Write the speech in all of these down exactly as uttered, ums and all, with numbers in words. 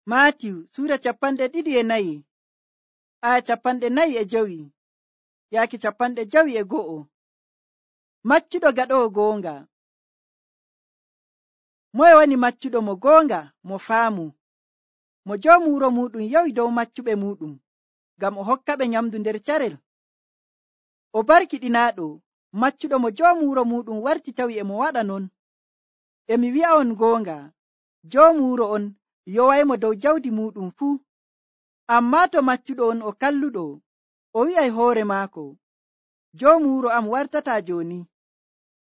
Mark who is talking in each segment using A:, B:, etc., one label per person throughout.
A: Maatiyu suura capanɗe ɗiɗi e nayi aya capanɗe nayi e jowi yaaki capanɗe jowi e go'o. Maccuɗo gaɗowo goonga. Moye woni maccuɗo mo goonga mo faamu mo joomu wuro muɗum yawi dow maccuɓe muɗum ngam o hokka ɓe nyamdu nder carel? O barkiɗinaaɗo maccuɗo mo joomu wuro muɗum warti tawi e mo waɗa non. Emi wi'a'on goonga, joomu wuro on yowaymo dow jawdi muɗum fuu. Ammaa to maccuɗo on o kalluɗo, o wi'ay hoore maako, joomu wuro am wartata jooni.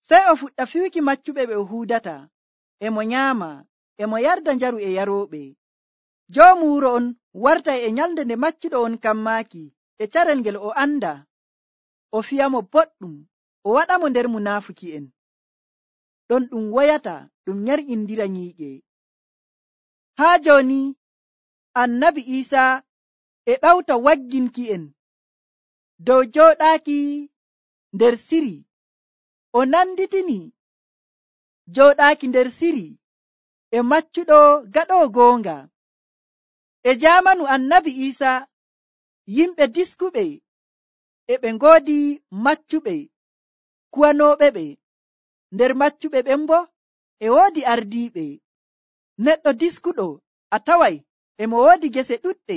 A: Sey o fuɗɗa fiwki maccuɓe ɓe o huudata, e mo nyaama, e mo yarda njaru e yarooɓe. Joomu wuro on wartay e nyalnde nde maccuɗo on kammaaki e carel ngel o anda, o fiyamo boɗɗum, o waɗamo nder munaafuki'en. Ɗon ɗum woyata ɗum nyar'indira nyiiƴe. Haa jooni annabi Iisaa e ɗawta wagginki'en dow jooɗaaki nder siri. O nanditini jooɗaaki nder siri e maccuɗo gaɗowo goonga. E jaamanu annabi Iisaa yimɓe diskuɓe e ɓe ngoodi maccuɓe kuwanooɓe ɓe. Nder maccuɓe ɓen bo e woodi ardiiɓe. Neɗɗo diskuɗo a taway e mo woodi gese ɗuɗɗe.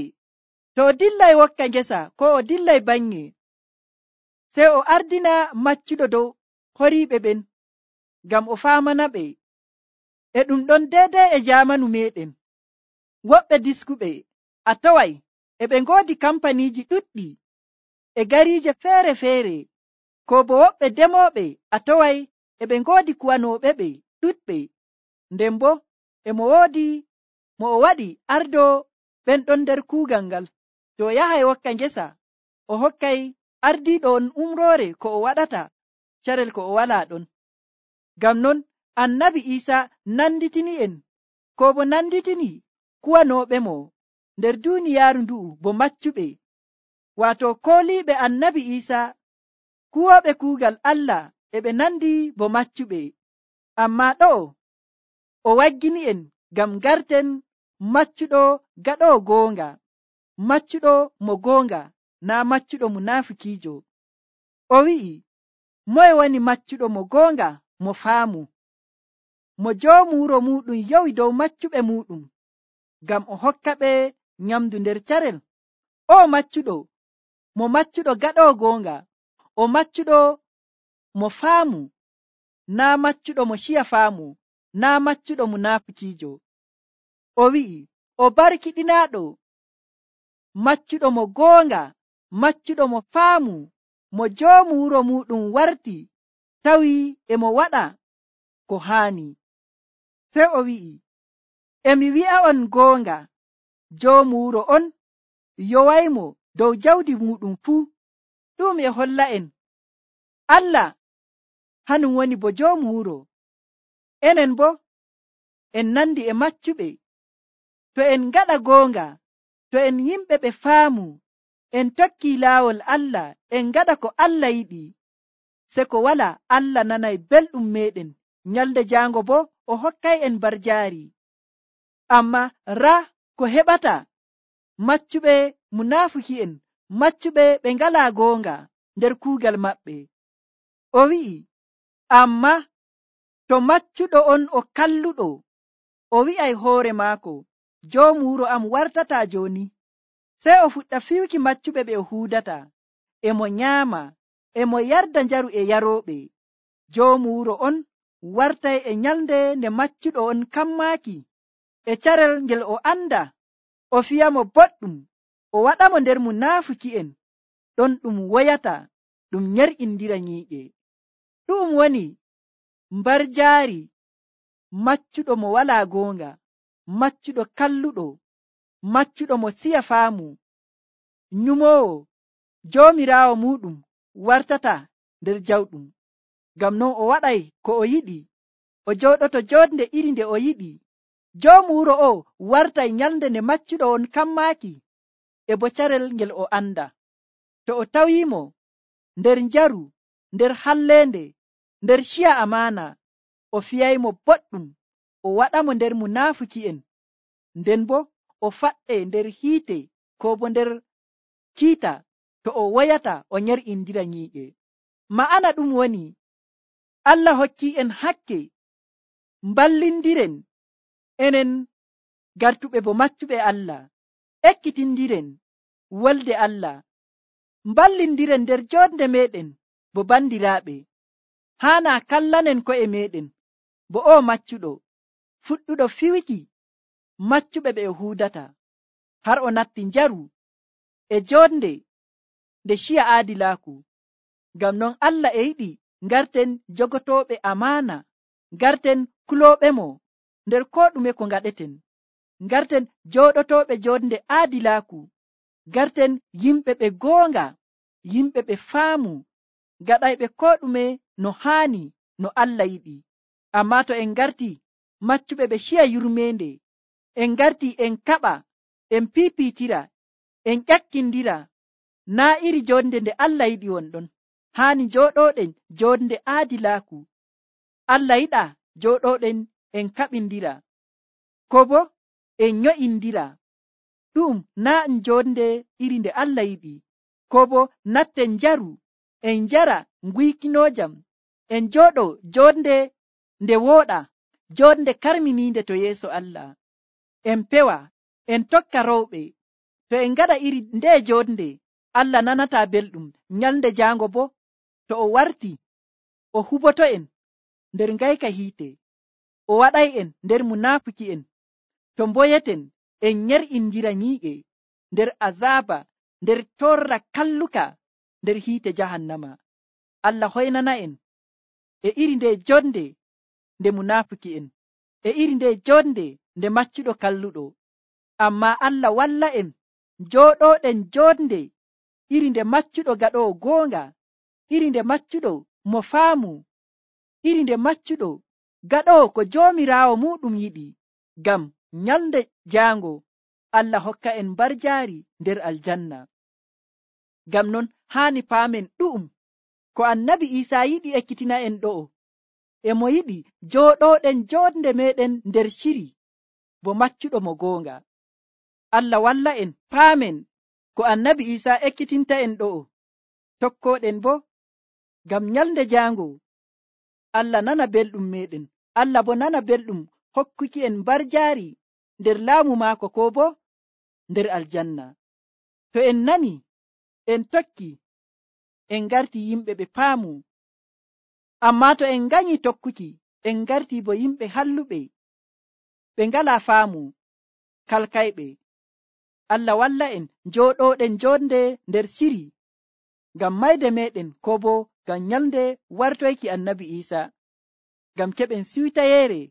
A: To o dillay wokka ngesa ko o dillay bannye, sey o ardina maccuɗo dow horiiɓe ɓen ngam o faamana ɓe. E ɗum ɗon deedey e jaamanu meɗen. Woɓɓe diskuɓe a taway e ɓe ngoodi kampaniiji ɗuɗɗi e gariije feere-feere, ko bo woɓɓe demooɓe a taway e ɓe ngoodi kuwanooɓe ɓe ɗuɗɓe. Nden bo e mo woodi mo o waɗi ardo ɓen ɗon nder kuugal ngal. To o yahay wokka ngesa, o hokkay ardiiɗo on umroore ko o waɗata carel ko o walaa ɗon. Ngam non annabi Iisaa nanditini'en ko bo nanditini kuwanooɓe mo nder duuniyaaru ndu'u bo maccuɓe, waato kooliiɓe annabi Iisaa kuwooɓe kuugal Allah e ɓe nandi bo maccuɓe. Ammaa ɗo'o o waggini'en ngam garten maccuɗo gaɗowo goonga, maccuɗo mo goonga, naa maccuɗo munaafikiijo. O wi'i, moye woni maccuɗo mo goonga mo faamu mo joomu wuro muɗum yowi dow maccuɓe muɗum ngam o hokka ɓe nyamdu nder carel? O maccuɗo, mo maccuɗo gaɗowo goonga, o maccuɗo mo faamu, naa maccuɗo mo ciya faamu, naa maccuɗo munaafikiijo. O wi'i, o barkiɗinaaɗo maccuɗo mo goonga, maccuɗo mo faamu mo joomu wuro muɗum warti tawi e mo waɗa ko haani. Sey o wi'i, emi wi'a'on goonga, joomu wuro on yowaymo dow jawdi muɗum fuu. Ɗum e holla'en Allah hanum woni bo joomu wuro. Enen bo en nandi e maccuɓe. To en ngaɗa goonga, to en yimɓe ɓe faamu, en tokki laawol Allah, en ngaɗa ko Allah yiɗi, se ko wala Allah nanay belɗum meɗen. Nyalde jaango bo o hokkay en barjaari. Amma raa ko heɓata maccuɓe munaafiki'en, maccuɓe ɓe ngalaa goonga nder kuugal maɓɓe. O wi'i, amma to maccuɗo on o kalluɗo, o wi'ay hoore maako, joomu wuro am wartata jooni. Sey o fuɗɗa fiwki maccuɓe ɓe o huudata, e mo nyaama, e mo yarda njaru e yarooɓe. Joomu wuro on wartay e nyalnde nde maccuɗo on kammaaki e carel ngel o anda, o fiyamo boɗɗum, o waɗamo nder munaafiki'en. Ɗon ɗum woyata ɗum nyar'indira nyiiƴe. Ɗum woni mbarjaari maccuɗo mo walaa goonga, maccuɗo kalluɗo, maccuɗo mo siya faamu, nyumoowo, joomiraawo muɗum wartata nder jawɗum. Ngam non o waɗay ko o yiɗi, o jooɗoto joodnde iri nde o yiɗi. Joomu wuro o wartay nyalnde nde maccuɗo on kammaaki e bo carel ngel o anda. To o tawiimo nder njaru, nder halleende, nder ciya amaana, o fiyaymo boɗɗum, o waɗamo nder munaafiki'en. Nden bo o faɗɗe nder hiite ko bo nder kiita to o woyata o nyer'indira nyii'e. Ma'ana ɗum woni Allah hokki en hakke mballindiren enen gartuɓe bo maccuɓe Allah, ekkitindiren wolde Allah, mballindiren nder jonde meɗen bo bandiraaɓe. Haana kallanen ko'e meɗen bo o maccuɗo fuɗɗuɗo fiwiki maccuɓe ɓe o huudata, har o natti njaru e jonde nde ciya aadilaaku. Ngam non Allah e yiɗi ngarten jogotoɓe amaana, ngarten kulooɓe mo nder ko ɗume ko ngaɗeten, ngarten jooɗotoɓe jonde aadilaaku, ngarten yimɓe ɓe goonga, yimɓe ɓe faamu, gaɗayɓe ko ɗume no haani no Allah yiɗi. Amma to en ngarti maccuɓe ɓe ciya yurmeende, en ngarti en kaɓa, en piipiitira, en ƴakkindira, naa iri jonde nde Allah yiɗi wonɗon. Haani jooɗoɗen jonde aadilaaku. Allah yiɗa jooɗoɗen en kaɓindira ko bo en nyo'indira. Ɗum naa en jonde iri nde Allah yiɗi. Ko bo natten njaru, en njara nguykinojam, en jooɗo jonde nde wooɗa, jonde karminiinde to yeeso Allah. En pewa, en tokka rowɓe. To en ngaɗa iri nde jonde, Allah nanata belɗum. Nyalnde jaango bo to o warti o huboto en nder ngayka hiite, o waɗay en nder munaafuki en, to mboyeten en nyer'indira nyii'e nder azaba, nder torra kalluka, nder hiite jahannama. Allah hoynana en e iri nde jonde nde munaafuki en, e iri nde jonde nde maccuɗo kalluɗo. Amma Allah walla en jooɗoɗen jonde iri nde maccuɗo gaɗowo goonga, iri nde maccuɗo mo faamu, iri nde maccuɗo gaɗowo ko joomiraawo muɗum yiɗi. Ngam nyalnde jaango Allah hokka en barjaari nder aljanna. Ngam non haani paamen ɗu'um ko annabi Isaa yiɗi ekkitina en ɗo'o. E mo yiɗi jooɗoɗen jonde meɗen nder ciri bo maccuɗo mo goonga. Allah walla en paamen ko annabi Isaa ekkitinta en ɗo'o, tokkoɗen bo ngam nyalnde jaango Allah nana belɗum meɗen, Allah bo nana belɗum hokkuki en barjaari nder laamu maako ko bo nder aljanna. To en nani en tokki, en ngarti yimɓe ɓe paamu. Amma to en nganyi tokkuki, en ngarti bo yimɓe halluɓe, ɓe ngala faamu, kalkayɓe. Allah walla en jooɗoɗen jonde nder siri ngam mayde meɗen ko bo ngam nyalnde wartoyki annabi Isaa, ngam keɓen siwtayeere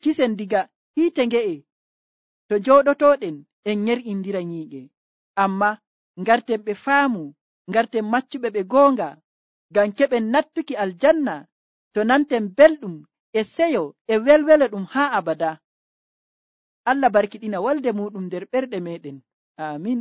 A: kisen diga hiite nge'e to jooɗotoɗen en nyer'indira nyii'e. Amma ngarten ɓe faamu, ngarten maccuɓe ɓe goonga, ngam keɓen nattuki aljanna to nanten belɗum e seyo e welwele ɗum haa abada. Allah barkiɗina walde muɗum nder ɓerɗe meɗen. Amin.